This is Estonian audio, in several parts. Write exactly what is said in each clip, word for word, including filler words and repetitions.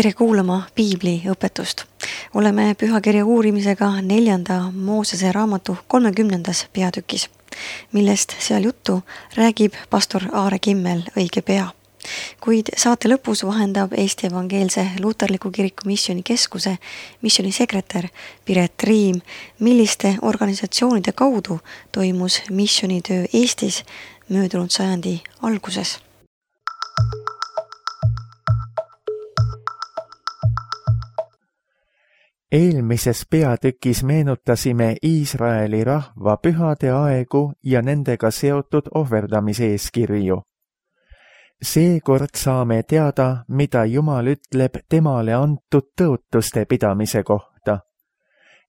tere kuulama Piibli õpetust. Oleme pühakirja uurimisega neljanda Moosese raamatu kolmekümnendas peatükis, millest seal juttu räägib pastor Aare Kimmel õige pea. Kuid saate lõpus vahendab Eesti Evangeelse Luterliku Kiriku Missiooni Keskuse missioonisekretär Piret Riim, milliste organisatsioonide kaudu toimus missioonitöö Eestis möödunud sajandi alguses. Eelmises peatükis meenutasime Iisraeli rahva pühade aegu ja nendega seotud ohverdamise eeskirju. Seekord saame teada, mida Jumal ütleb temale antud tõotuste pidamise kohta.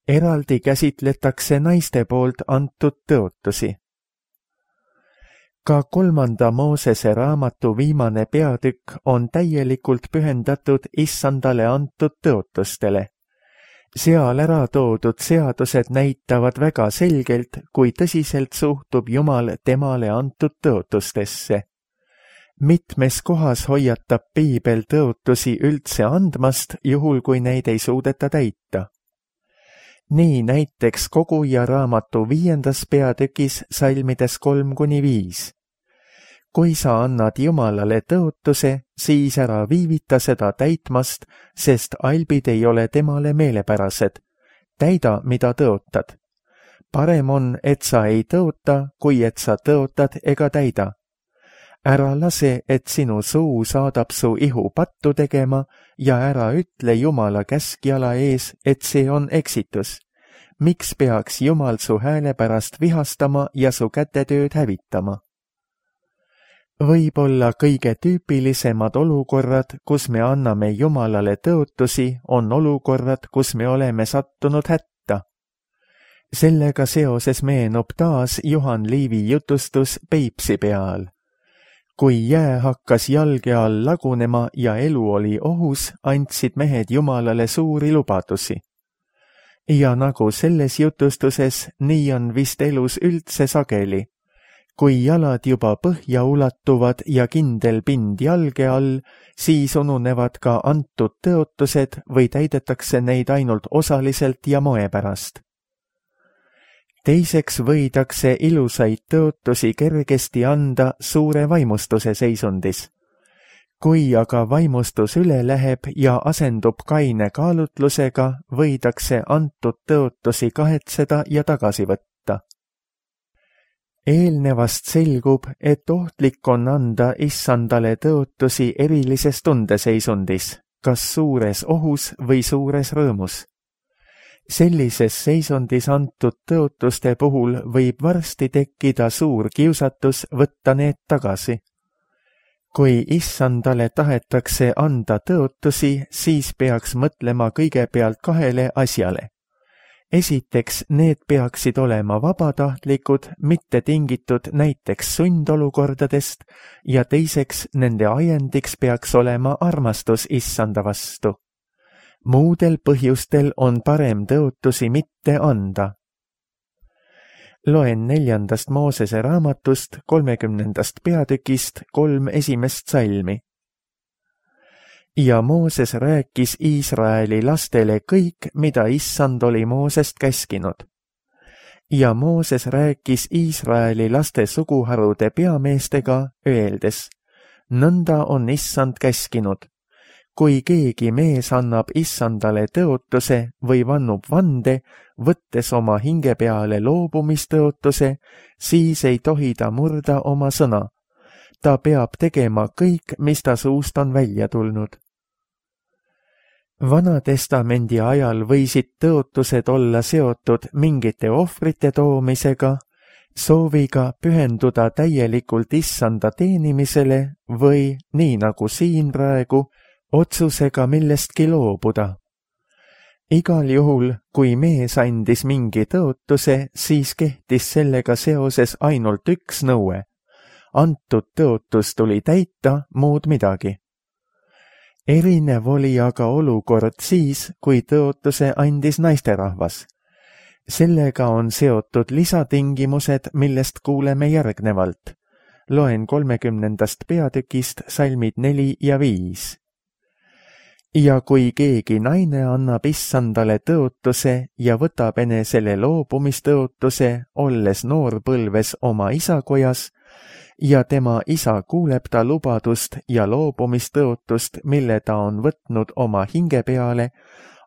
Eraldi käsitletakse naiste poolt antud tõotusi. Ka kolmanda Moosese raamatu viimane peatükk on täielikult pühendatud Issandale antud tõotustele. Seal ära toodud seadused näitavad väga selgelt, kui tõsiselt suhtub Jumal temale antud tõotustesse. Mitmes kohas hoiatab Piibel tõotusi üldse andmast, juhul kui neid ei suudeta täita. Nii näiteks Koguja raamatu viiendas peatükis salmides kolm kuni viis. Kui sa annad Jumalale tõotuse, siis ära viivita seda täitmast, sest albid ei ole temale meelepärased. Täida, mida tõotad. Parem on, et sa ei tõota, kui et sa tõotad ega täida. Ära lase, et sinu suu saadab su ihu pattu tegema ja ära ütle Jumala käskjala ees, et see on eksitus. Miks peaks Jumal su hääle pärast vihastama ja su kätetööd hävitama? Võib-olla kõige tüüpilisemad olukorrad, kus me anname Jumalale tõotusi, on olukorrad, kus me oleme sattunud hätta. Sellega seoses meenub taas Juhan Liivi jutustus Peipsi peal. Kui jää hakkas jalge all lagunema ja elu oli ohus, andsid mehed Jumalale suuri lubadusi. Ja nagu selles jutustuses, nii on vist elus üldse sageli. Kui jalad juba põhja ulatuvad ja kindel pind jalge all, siis ununevad ka antud tõotused või täidetakse neid ainult osaliselt ja moe pärast. Teiseks võidakse ilusaid tõotusi kergesti anda suure vaimustuse seisundis. Kui aga vaimustus üle läheb ja asendub kaine kaalutlusega, võidakse antud tõotusi kahetseda ja tagasi võtta. Eelnevast selgub, et ohtlik on anda Issandale tõotusi erilises tundeseisundis, kas suures ohus või suures rõõmus. Sellises seisundis antud tõotuste puhul võib varsti tekkida suur kiusatus võtta need tagasi. Kui Issandale tahetakse anda tõotusi, siis peaks mõtlema kõigepealt kahele asjale. Esiteks, need peaksid olema vabatahtlikud, mitte tingitud näiteks sundolukordadest, ja teiseks, nende ajendiks peaks olema armastus Issanda vastu. Muudel põhjustel on parem tõotusi mitte anda. Loen neljandast Moosese raamatust kolmekümnendast peatükist kolm esimest salmi. Ja Mooses rääkis Iisraeli lastele kõik, mida Issand oli Moosest käskinud. Ja Mooses rääkis Iisraeli laste suguharude peameestega, öeldes, nõnda on Issand käskinud. Kui keegi mees annab Issandale tõotuse või vannub vande, võttes oma hinge peale loobumistõotuse, siis ei tohi ta murda oma sõna. Ta peab tegema kõik, mis ta suust on välja tulnud. Vanatestamendi ajal võisid tõotused olla seotud mingite ohvrite toomisega, sooviga pühenduda täielikult Issanda teenimisele või, nii nagu siin praegu, otsusega millestki loobuda. Igal juhul, kui mees andis mingi tõotuse, siis kehtis sellega seoses ainult üks nõue. Antud tõotus tuli täita, muud midagi. Erinev oli aga olukord siis, kui tõotuse andis naisterahvas. Sellega on seotud lisatingimused, millest kuuleme järgnevalt. Loen kolmekümnendast peatükist salmid neli ja viis. ja kui keegi naine annab issandale tõotuse ja võtab enesele loobumistõotuse, olles noorpõlves oma isakojas, ja tema isa kuuleb ta lubadust ja loobumistõotust, mille ta on võtnud oma hinge peale,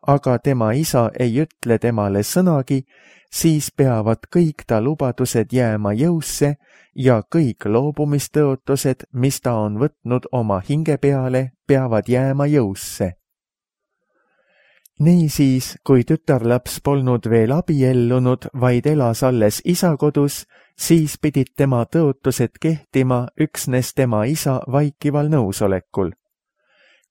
aga tema isa ei ütle temale sõnagi, siis peavad kõik ta lubadused jääma jõusse ja kõik loobumistõotused, mis ta on võtnud oma hinge peale, peavad jääma jõusse. Niisiis, kui tütarlaps polnud veel abiellunud, vaid elas alles isa kodus, siis pidid tema tõotused kehtima üksnes tema isa vaikival nõusolekul.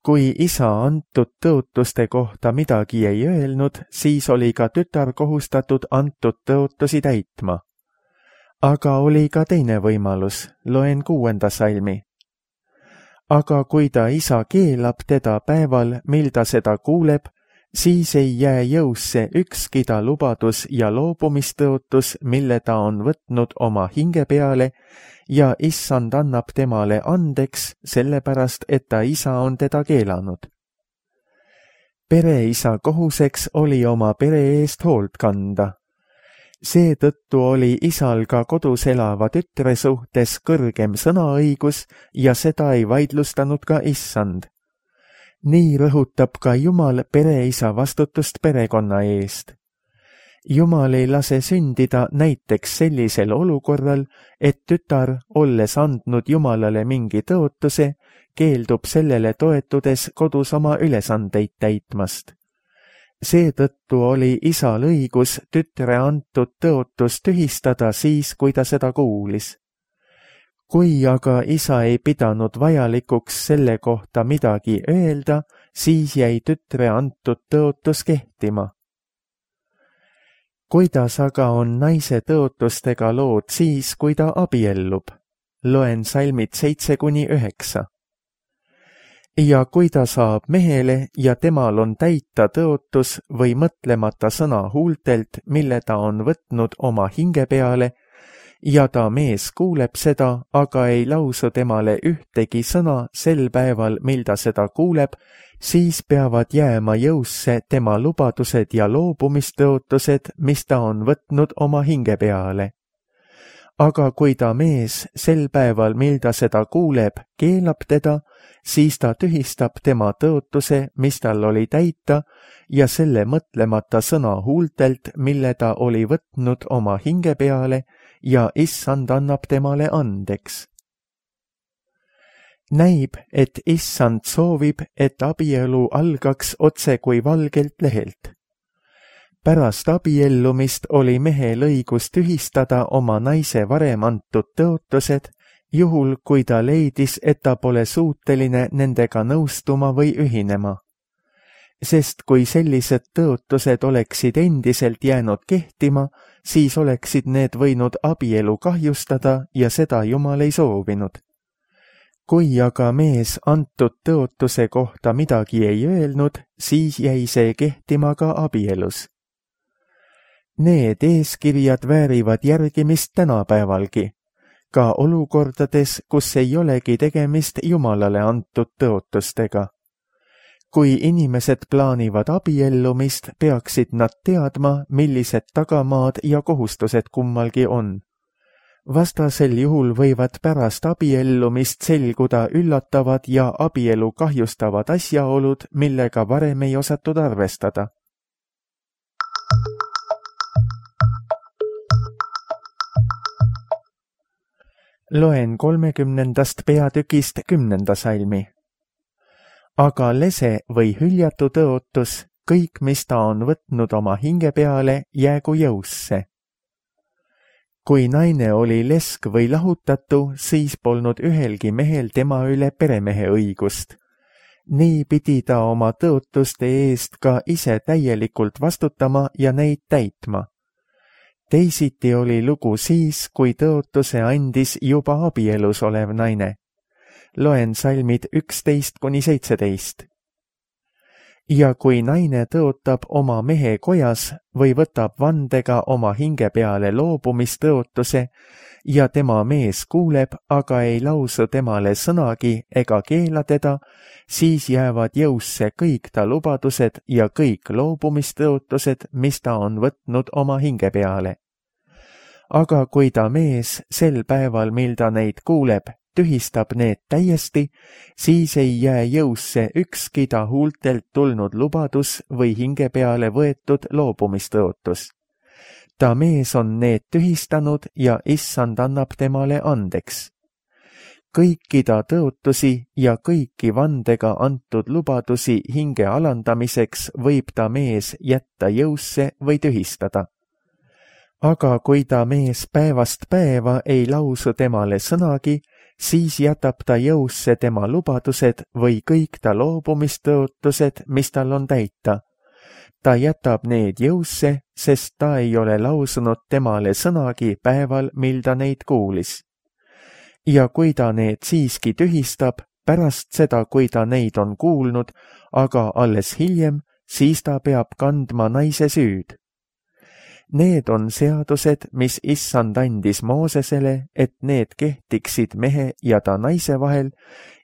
Kui isa antud tõotuste kohta midagi ei öelnud, siis oli ka tütar kohustatud antud tõotusi täitma. Aga oli ka teine võimalus, loen kuuenda salmi. Aga kui ta isa keelab teda päeval, mil ta seda kuuleb, siis ei jää jõusse ükski ta lubadus ja loobumistõotus, mille ta on võtnud oma hinge peale, ja issand annab temale andeks, sellepärast, et ta isa on teda keelanud. Pereisa kohuseks oli oma pere eest hoolt kanda. Seetõttu oli isal ka kodus elava tütre suhtes kõrgem sõnaõigus ja seda ei vaidlustanud ka issand. Nii rõhutab ka Jumal pereisa vastutust perekonna eest. Jumal ei lase sündida näiteks sellisel olukorral, et tütar, olles andnud Jumalale mingi tõotuse, keeldub sellele toetudes kodus oma ülesandeid täitmast. Seetõttu oli isal õigus tütre antud tõotus tühistada siis, kui ta seda kuulis. Kui aga isa ei pidanud vajalikuks selle kohta midagi öelda, siis jäi tütre antud tõotus kehtima. Kuidas aga on naise tõotustega lood siis, kui ta abiellub? Loen salmid seitse kuni üheksa. Ja kui ta saab mehele ja temal on täita tõotus või mõtlemata sõna huultelt, mille ta on võtnud oma hinge peale, ja ta mees kuuleb seda, aga ei lausu temale ühtegi sõna sel päeval, mil ta seda kuuleb, siis peavad jääma jõusse tema lubadused ja loobumistõotused, mis ta on võtnud oma hinge peale. Aga kui ta mees sel päeval, mil ta seda kuuleb, keelab teda, siis ta tühistab tema tõotuse, mis tal oli täita, ja selle mõtlemata sõna huultelt, mille ta oli võtnud oma hinge peale, ja issand annab temale andeks. Näib, et issand soovib, et abielu algaks otse kui valgelt lehelt. Pärast abiellumist oli mehel õigus tühistada oma naise varem antud tõotused, juhul kui ta leidis, et ta pole suuteline nendega nõustuma või ühinema. Sest kui sellised tõotused oleksid endiselt jäänud kehtima, siis oleksid need võinud abielu kahjustada ja seda Jumal ei soovinud. Kui aga mees antud tõotuse kohta midagi ei öelnud, siis jäi see kehtima ka abielus. Need eeskirjad väärivad järgimist tänapäevalgi, ka olukordades, kus ei olegi tegemist Jumalale antud tõotustega. Kui inimesed plaanivad abiellumist, peaksid nad teadma, millised tagamaad ja kohustused kummalgi on. Vastasel juhul võivad pärast abiellumist selguda üllatavad ja abielu kahjustavad asjaolud, millega varem ei osatud arvestada. Loen kolmekümnendast peatükist kümnenda salmi. Aga lese või hüljatu tõotus, kõik, mis ta on võtnud oma hinge peale, jäägu jõusse. Kui naine oli lesk või lahutatu, siis polnud ühelgi mehel tema üle peremehe õigust. Nii pidi ta oma tõotuste eest ka ise täielikult vastutama ja neid täitma. Teisiti oli lugu siis, kui tõotuse andis juba abielus olev naine. Loen salmid üksteist kuni seitseteist. ja kui naine tõotab oma mehe kojas või võtab vandega oma hinge peale loobumistõotuse ja tema mees kuuleb, aga ei lausu temale sõnagi ega keela teda, siis jäävad jõusse kõik ta lubadused ja kõik loobumistõotused, mis ta on võtnud oma hinge peale. Aga kui ta mees sel päeval, mil ta neid kuuleb, tühistab need täiesti, siis ei jää jõusse ükski ta huultelt tulnud lubadus või hinge peale võetud loobumistõotus. Ta mees on need tühistanud ja issand annab temale andeks. Kõiki ta tõotusi ja kõiki vandega antud lubadusi hinge alandamiseks võib ta mees jätta jõusse või tühistada. Aga kui ta mees päevast päeva ei lausu temale sõnagi, siis jätab ta jõusse tema lubadused või kõik ta loobumistõotused, mis tal on täita. Ta jätab need jõusse, sest ta ei ole lausunud temale sõnagi päeval, mil ta neid kuulis. Ja kui ta need siiski tühistab, pärast seda, kui ta neid on kuulnud, aga alles hiljem, siis ta peab kandma naise süüd. Need on seadused, mis issand andis Moosesele, et need kehtiksid mehe ja ta naise vahel,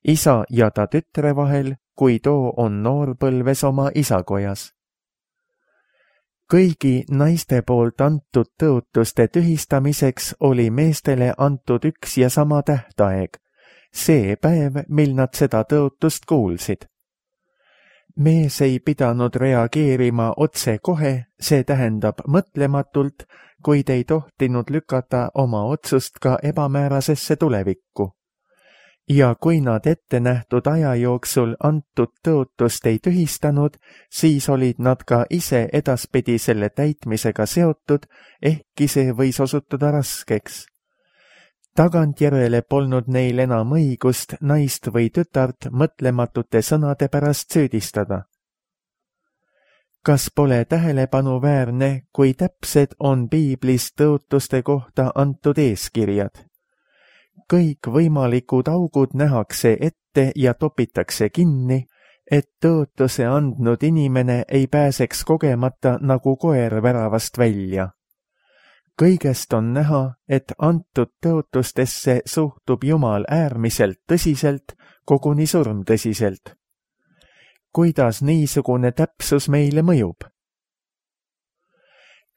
isa ja ta tütre vahel, kui too on noorpõlves oma isakojas. Kõigi naiste poolt antud tõotuste tühistamiseks oli meestele antud üks ja sama tähtaeg, see päev, mil nad seda tõotust kuulsid. Mees ei pidanud reageerima otse kohe, see tähendab mõtlematult, kuid ei tohtinud lükata oma otsust ka ebamäärasesse tulevikku. Ja kui nad ette nähtud aja jooksul antud tõotust ei tühistanud, siis olid nad ka ise edaspidi selle täitmisega seotud, ehkki see võis osutuda raskeks. Tagantjärele polnud neil enam õigust naist või tütart mõtlematute sõnade pärast süüdistada. Kas pole tähelepanuväärne, kui täpsed on piiblis tõotuste kohta antud eeskirjad? Kõik võimalikud augud nähakse ette ja topitakse kinni, et tõotuse andnud inimene ei pääseks kogemata nagu koer väravast välja. Kõigest on näha, et antud tõotustesse suhtub Jumal äärmiselt tõsiselt, koguni surmtõsiselt. Kuidas niisugune täpsus meile mõjub?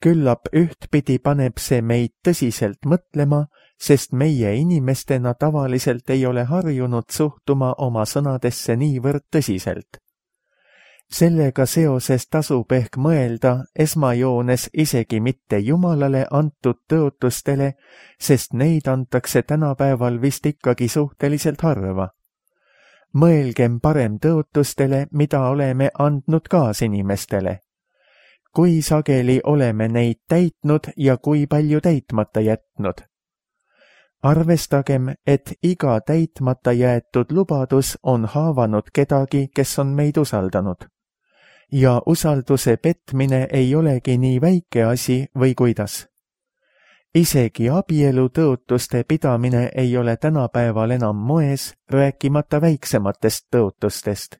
Küllap ühtpidi paneb see meid tõsiselt mõtlema, sest meie inimestena tavaliselt ei ole harjunud suhtuma oma sõnadesse niivõrd tõsiselt. Sellega seoses tasub ehk mõelda esmajoones isegi mitte Jumalale antud tõotustele, sest neid antakse tänapäeval vist ikkagi suhteliselt harva. Mõelgem parem tõotustele, mida oleme andnud kaasinimestele. Kui sageli oleme neid täitnud ja kui palju täitmata jätnud. Arvestagem, et iga täitmata jäetud lubadus on haavanud kedagi, kes on meid usaldanud. Ja usalduse petmine ei olegi nii väike asi või kuidas. Isegi abielu tõotuste pidamine ei ole tänapäeval enam moes, rääkimata väiksematest tõotustest.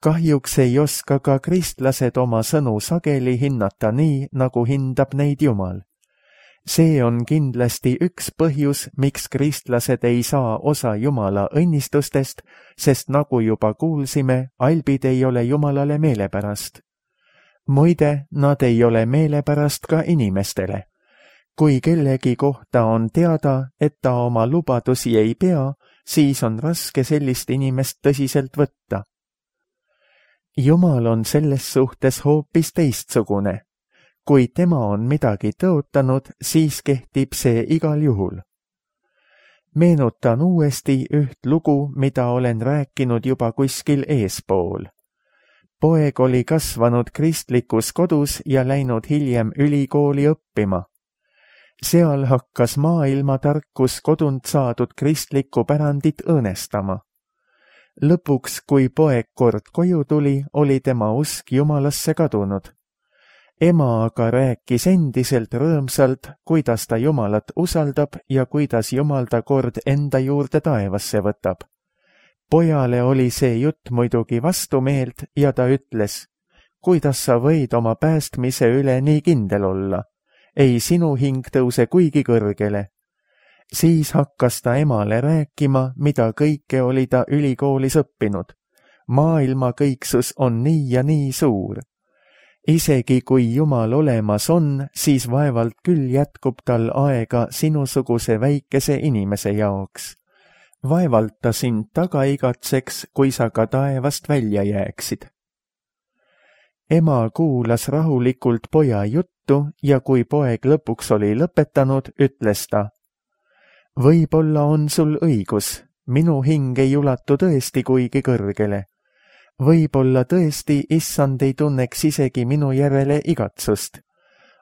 Kahjuks ei oska ka kristlased oma sõnu sageli hinnata nii, nagu hindab neid Jumal. See on kindlasti üks põhjus, miks kristlased ei saa osa Jumala õnnistustest, sest nagu juba kuulsime, albid ei ole Jumalale meelepärast. Muide, nad ei ole meelepärast ka inimestele. Kui kellegi kohta on teada, et ta oma lubadusi ei pea, siis on raske sellist inimest tõsiselt võtta. Jumal on selles suhtes hoopis teistsugune. Kui tema on midagi tõotanud, siis kehtib see igal juhul. Meenutan uuesti üht lugu, mida olen rääkinud juba kuskil eespool. Poeg oli kasvanud kristlikus kodus ja läinud hiljem ülikooli õppima. Seal hakkas maailmatarkus kodunt saadud kristlikku pärandit õõnestama. Lõpuks, kui poeg kord koju tuli, oli tema usk Jumalasse kadunud. Ema aga rääkis endiselt rõõmsalt, kuidas ta Jumalat usaldab ja kuidas Jumal ta kord enda juurde taevasse võtab. Pojale oli see jutt muidugi vastumeelt ja ta ütles, kuidas sa võid oma päästmise üle nii kindel olla? Ei, sinu hing tõuse kuigi kõrgele. Siis hakkas ta emale rääkima, mida kõike oli ta ülikoolis õppinud. Maailma kõiksus on nii ja nii suur. Isegi kui Jumal olemas on, siis vaevalt küll jätkub tal aega sinusuguse väikese inimese jaoks. Vaevalt ta sind taga igatseks, kui sa ka taevast välja jääksid. Ema kuulas rahulikult poja juttu ja kui poeg lõpuks oli lõpetanud, ütles ta, võib-olla on sul õigus, minu hing ei ulatu tõesti kuigi kõrgele. Võib-olla tõesti issand ei tunneks isegi minu järele igatsust.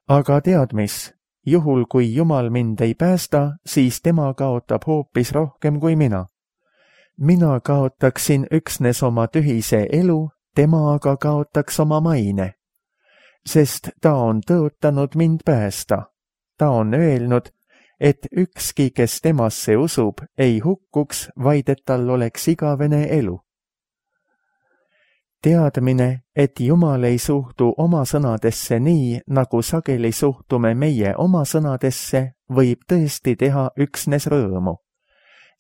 Aga tead mis, juhul kui Jumal mind ei päästa, siis tema kaotab hoopis rohkem kui mina. Mina kaotaksin üksnes oma tühise elu, tema aga kaotaks oma maine. Sest ta on tõotanud mind päästa. Ta on öelnud, et ükski, kes temasse usub, ei hukkuks, vaid et tal oleks igavene elu. Teadmine, et Jumal ei suhtu oma sõnadesse nii, nagu sageli suhtume meie oma sõnadesse, võib tõesti teha üksnes rõõmu.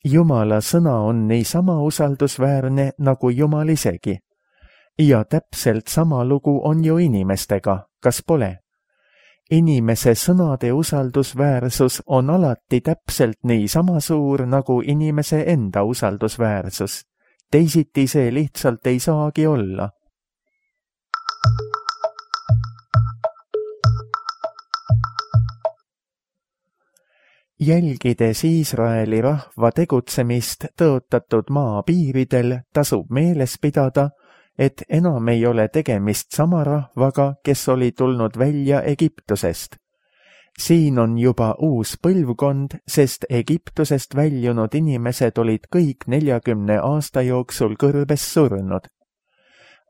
Jumala sõna on niisama usaldusväärne nagu Jumal isegi. Ja täpselt sama lugu on ju inimestega, kas pole? Inimese sõnade usaldusväärsus on alati täpselt niisama suur nagu inimese enda usaldusväärsus. Teisiti see lihtsalt ei saagi olla. Jälgides Iisraeli rahva tegutsemist tõotatud maa piiridel, tasub meeles pidada, et enam ei ole tegemist sama rahvaga, kes oli tulnud välja Egiptusest. Siin on juba uus põlvkond, sest Egiptusest väljunud inimesed olid kõik neljakümne aasta jooksul kõrbes surnud.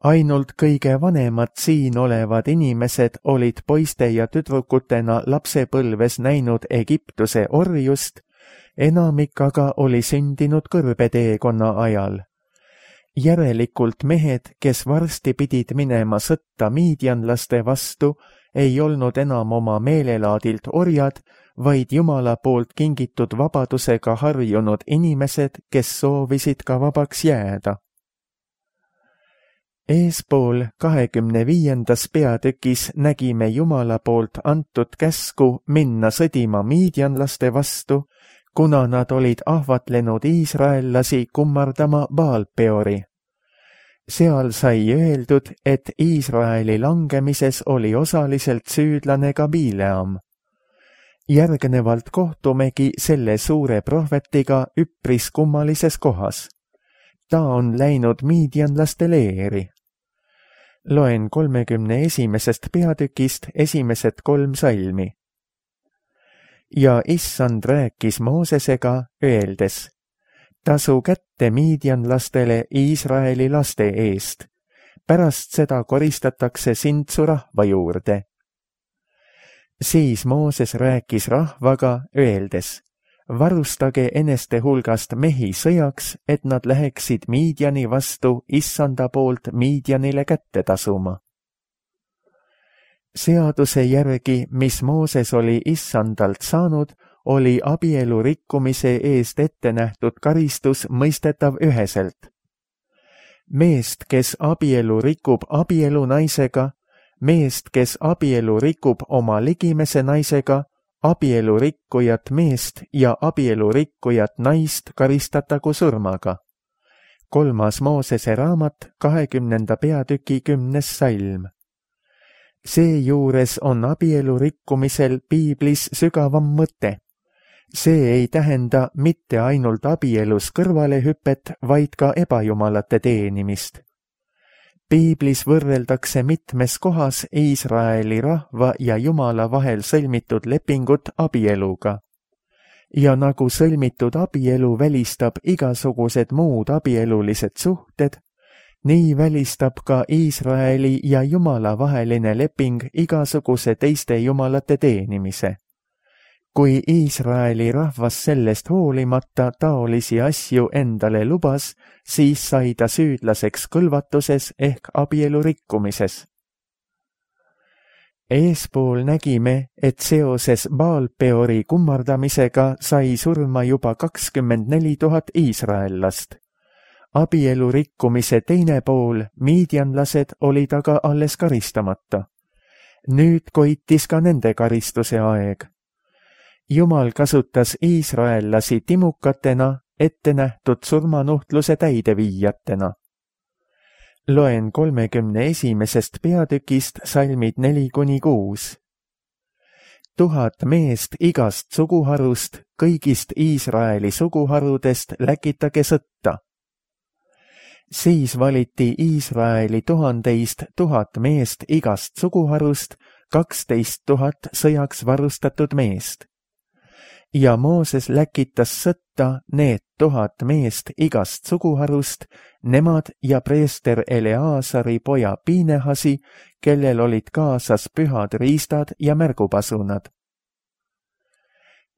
Ainult kõige vanemad siin olevad inimesed olid poiste ja tüdrukutena lapsepõlves näinud Egiptuse orjust, enamik aga oli sündinud kõrbeteekonna ajal. Järelikult mehed, kes varsti pidid minema sõtta miidjanlaste vastu, ei olnud enam oma meelelaadilt orjad, vaid Jumala poolt kingitud vabadusega harjunud inimesed, kes soovisid ka vabaks jääda. Eespool kahekümne viiendas peatükis nägime Jumala poolt antud käsku minna sõdima miidjanlaste vastu, kuna nad olid ahvatlenud iisraellasi kummardama Baal-peori. Seal sai öeldud, et Iisraeli langemises oli osaliselt süüdlane ka Bileam. Järgnevalt kohtumegi selle suure prohvetiga üpris kummalises kohas. Ta on läinud miidjanlaste leeri. Loen kolmekümne esimesest peatükist esimesed kolm salmi. Ja issand rääkis Moosesega, öeldes, tasu kätte miidjanlastele Iisraeli laste eest. Pärast seda koristatakse sind su rahva juurde. Siis Mooses rääkis rahvaga, öeldes, varustage eneste hulgast mehi sõjaks, et nad läheksid Miidjani vastu issanda poolt Miidjanile kätte tasuma. Seaduse järgi, mis Mooses oli issandalt saanud, oli abielu rikkumise eest ette nähtud karistus mõistetav üheselt. Meest, kes abielu rikub abielu naisega, meest, kes abielu rikub oma ligimese naisega, abielu rikkujat meest ja abielu rikkujat naist karistatagu surmaga. Kolmas Moosese raamat, kahekümnenda peatüki kümnes salm. Seejuures on abielu rikkumisel piiblis sügavam mõte. See ei tähenda mitte ainult abielus kõrvalehüpet, vaid ka ebajumalate teenimist. Piiblis võrreldakse mitmes kohas Iisraeli rahva ja Jumala vahel sõlmitud lepingut abieluga. Ja nagu sõlmitud abielu välistab igasugused muud abielulised suhted, nii välistab ka Iisraeli ja Jumala vaheline leping igasuguse teiste jumalate teenimise. kui Iisraeli rahvas sellest hoolimata taolisi asju endale lubas, siis sai ta süüdlaseks kõlvatuses ehk abielu rikkumises. Eespool nägime, et seoses Baal-Peori kummardamisega sai surma juba kakskümmend neli tuhat iisraellast. Abielu rikkumise teine pool, miidianlased, olid aga alles karistamata. Nüüd koitis ka nende karistuse aeg. Jumal kasutas iisraellasi timukatena, ette nähtud surmanuhtluse täideviijatena. Loen kolmekümne esimesest peatükist salmid neli kuni kuus. Tuhat meest igast suguharust, kõigist Iisraeli suguharudest läkitage sõtta. Siis valiti Iisraeli tuhandeist tuhat meest igast suguharust, kaksteist tuhat sõjaks varustatud meest. Ja Mooses läkitas sõtta need tuhat meest igast suguharust, nemad ja preester Eleaasari poja Piinehasi, kellel olid kaasas pühad riistad ja märgupasunad.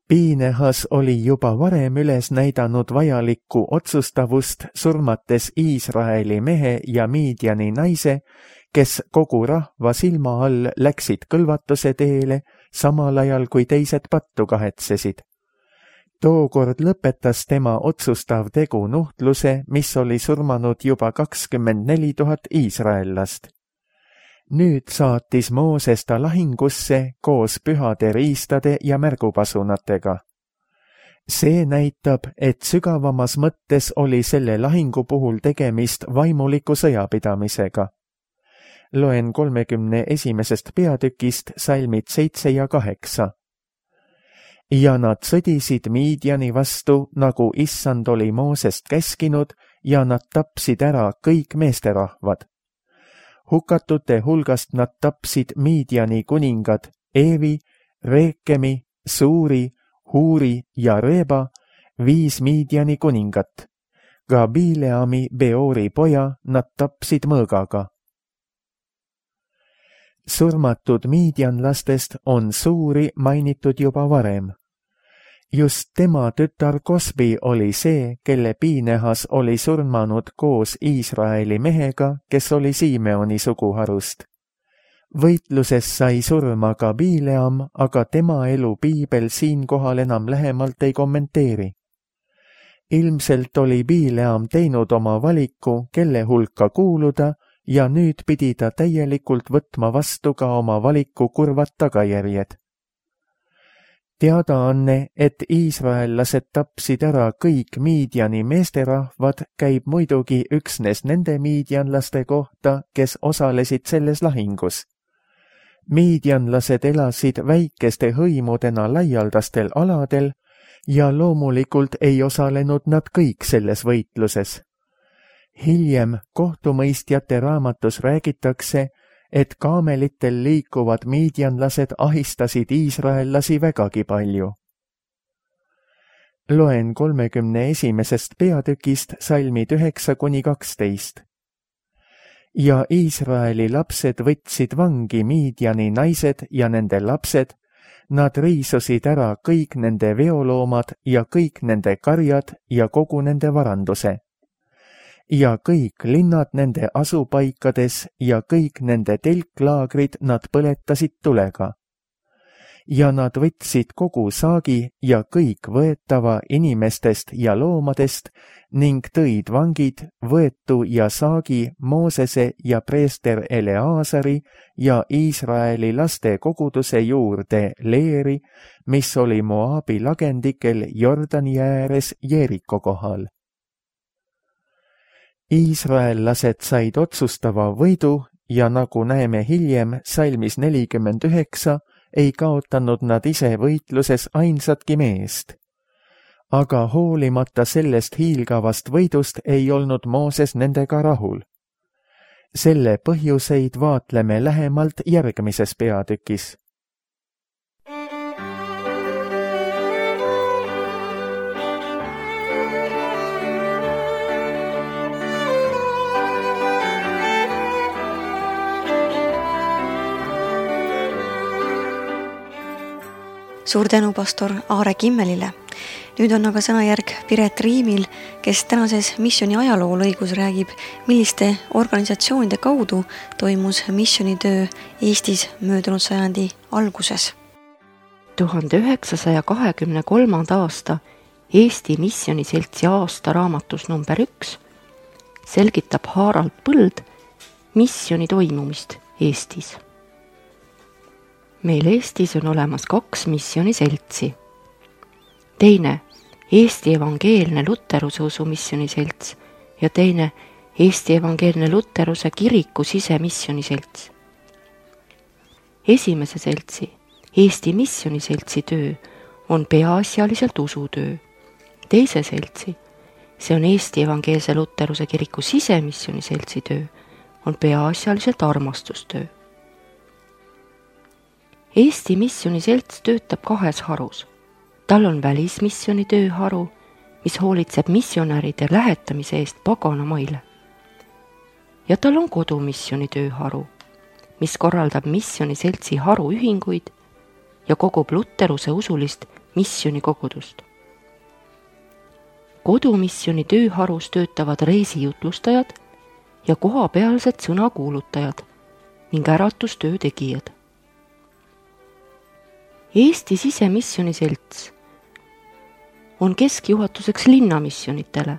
Piinehas oli juba varem üles näidanud vajalikku otsustavust, surmates Iisraeli mehe ja Miidiani naise, kes kogu rahva silma all läksid kõlvatuse teele, samal ajal kui teised pattu kahetsesid. Tookord lõpetas tema otsustav tegu nuhtluse, mis oli surmanud juba kakskümmend neli tuhat iisraellast. Nüüd saatis Mooses ta lahingusse koos pühade riistade ja märgupasunatega. See näitab, et sügavamas mõttes oli selle lahingu puhul tegemist vaimuliku sõjapidamisega. Loen kolmekümne esimesest peatükist salmid seitse ja kaheksa. Ja nad sõdisid Miidiani vastu, nagu issand oli Moosest käskinud, ja nad tapsid ära kõik meesterahvad. Hukatute hulgast nad tapsid Miidiani kuningad Eevi, Reekemi, Suuri, Huuri ja Reba, viis Miidiani kuningat. Ka Bileami Beori poja nad tapsid mõõgaga. Surmatud miidianlastest on Suuri mainitud juba varem. Just tema tütar Kosbi oli see, kelle Piinehas oli surmanud koos Iisraeli mehega, kes oli Simeoni suguharust. Võitluses sai surma ka Bileam, aga tema elu piibel siinkohal enam lähemalt ei kommenteeri. Ilmselt oli Bileam teinud oma valiku, kelle hulka kuuluda, ja nüüd pidi ta täielikult võtma vastu ka oma valiku kurvad tagajärjed. Teadaanne, et iisraellased tapsid ära kõik Miidiani meesterahvad, käib muidugi üksnes nende miidianlaste kohta, kes osalesid selles lahingus. Miidianlased elasid väikeste hõimudena laialdastel aladel ja loomulikult ei osalenud nad kõik selles võitluses. Hiljem kohtumõistjate raamatus räägitakse, et kaamelitel liikuvad miidianlased ahistasid iisraellasi vägagi palju. Loen kolmekümne esimesest peatükist salmid üheksa kuni kaksteist. Ja Iisraeli lapsed võtsid vangi Miidiani naised ja nende lapsed, nad riisusid ära kõik nende veoloomad ja kõik nende karjad ja kogu nende varanduse. Ja kõik linnad nende asupaikades ja kõik nende telklaagrid nad põletasid tulega. Ja nad võtsid kogu saagi ja kõik võetava inimestest ja loomadest ning tõid vangid, võetu ja saagi Moosese ja preester Eleaasari ja Iisraeli laste koguduse juurde Leeri, mis oli Moabi lagendikel Jordani ääres Jeeriko kohal. Iisraellased said otsustava võidu ja nagu näeme hiljem salmis nelikümmend üheksa, ei kaotanud nad ise võitluses ainsatki meest. Aga hoolimata sellest hiilgavast võidust ei olnud Mooses nendega rahul. Selle põhjuseid vaatleme lähemalt järgmises peatükis. suur tänu pastor Aare Kimmelile. Nüüd on aga sõnajärg Piret Riimil, kes tänases missiooni ajaloo lõigus räägib, milliste organisatsioonide kaudu toimus missionitöö Eestis möödunud sajandi alguses. tuhande üheksasaja kahekümne kolmanda aasta Eesti Missioniseltsi aastaraamatus number üks selgitab Harald Põld missioni toimumist Eestis. Meil Eestis on olemas kaks missioniseltsi. Teine Eesti Evangeelne Luteruse Usu Missioniselts ja teine Eesti Evangeelne Luteruse Kiriku Sisemissioniselts. Esimese seltsi, Eesti Missioniseltsi töö on peaasjaliselt usutöö. Teise seltsi, see on Eesti Evangeelse Luteruse Kiriku Sisemissioniseltsi töö, on peaasjaliselt armastustöö. Eesti Missioniselts töötab kahes harus. Tal on välismissioni tööharu, mis hoolitseb missionäride lähetamise eest paganamaile. Ja tal on kodumissioni tööharu, mis korraldab missioniseltsi haruühinguid ja kogub luteruse usulist missionikogudust. Kodumissioni tööharus töötavad reisijutlustajad ja kohapealsed sõnakuulutajad ning äratustöö tegijad. Eesti Sisemissioniselts on keskjuhatuseks linnamissionitele,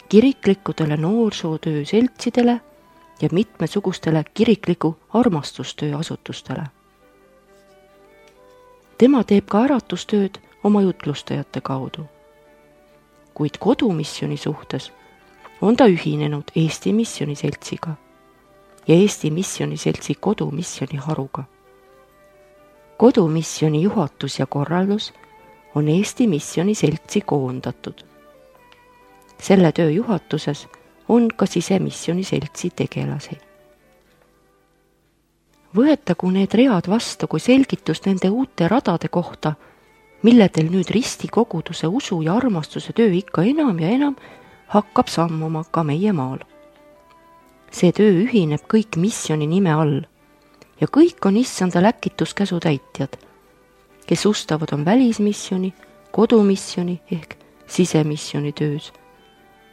kiriklikudele noorsootöö seltsidele ja mitmesugustele kirikliku armastustöö asutustele. Tema teeb ka äratustööd oma jutlustajate kaudu. Kuid kodumissioni suhtes on ta ühinenud Eesti Missioniseltsiga ja Eesti Missioniseltsi kodumissioni haruga. Kodumissioni juhatus ja korraldus on Eesti Missioniseltsi koondatud. Selle töö juhatuses on ka Sisemissioniseltsi tegelasi. Võetagu need read vastu kui selgitust nende uute radade kohta, milledel nüüd ristikoguduse usu ja armastuse töö ikka enam ja enam hakkab sammuma ka meie maal. See töö ühineb kõik missioni nime all ja kõik on issanda läkituskäsu täitjad, kes ustavad on välismissioni, kodumissioni ehk sisemissioni töös,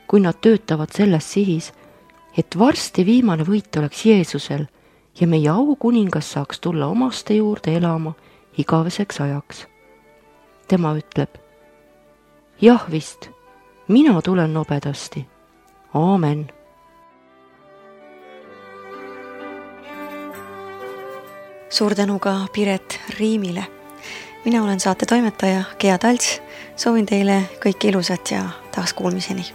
kui nad töötavad selles sihis, et varsti viimane võit oleks Jeesusel ja meie aukuningas saaks tulla omaste juurde elama igaveseks ajaks. Tema ütleb, jah vist, mina tulen nobedasti. Aamen. Suur tänu ka Piret Riimile. Mina olen saate toimetaja Gea Talts. Soovin teile kõike ilusat ja taas kuulmiseni.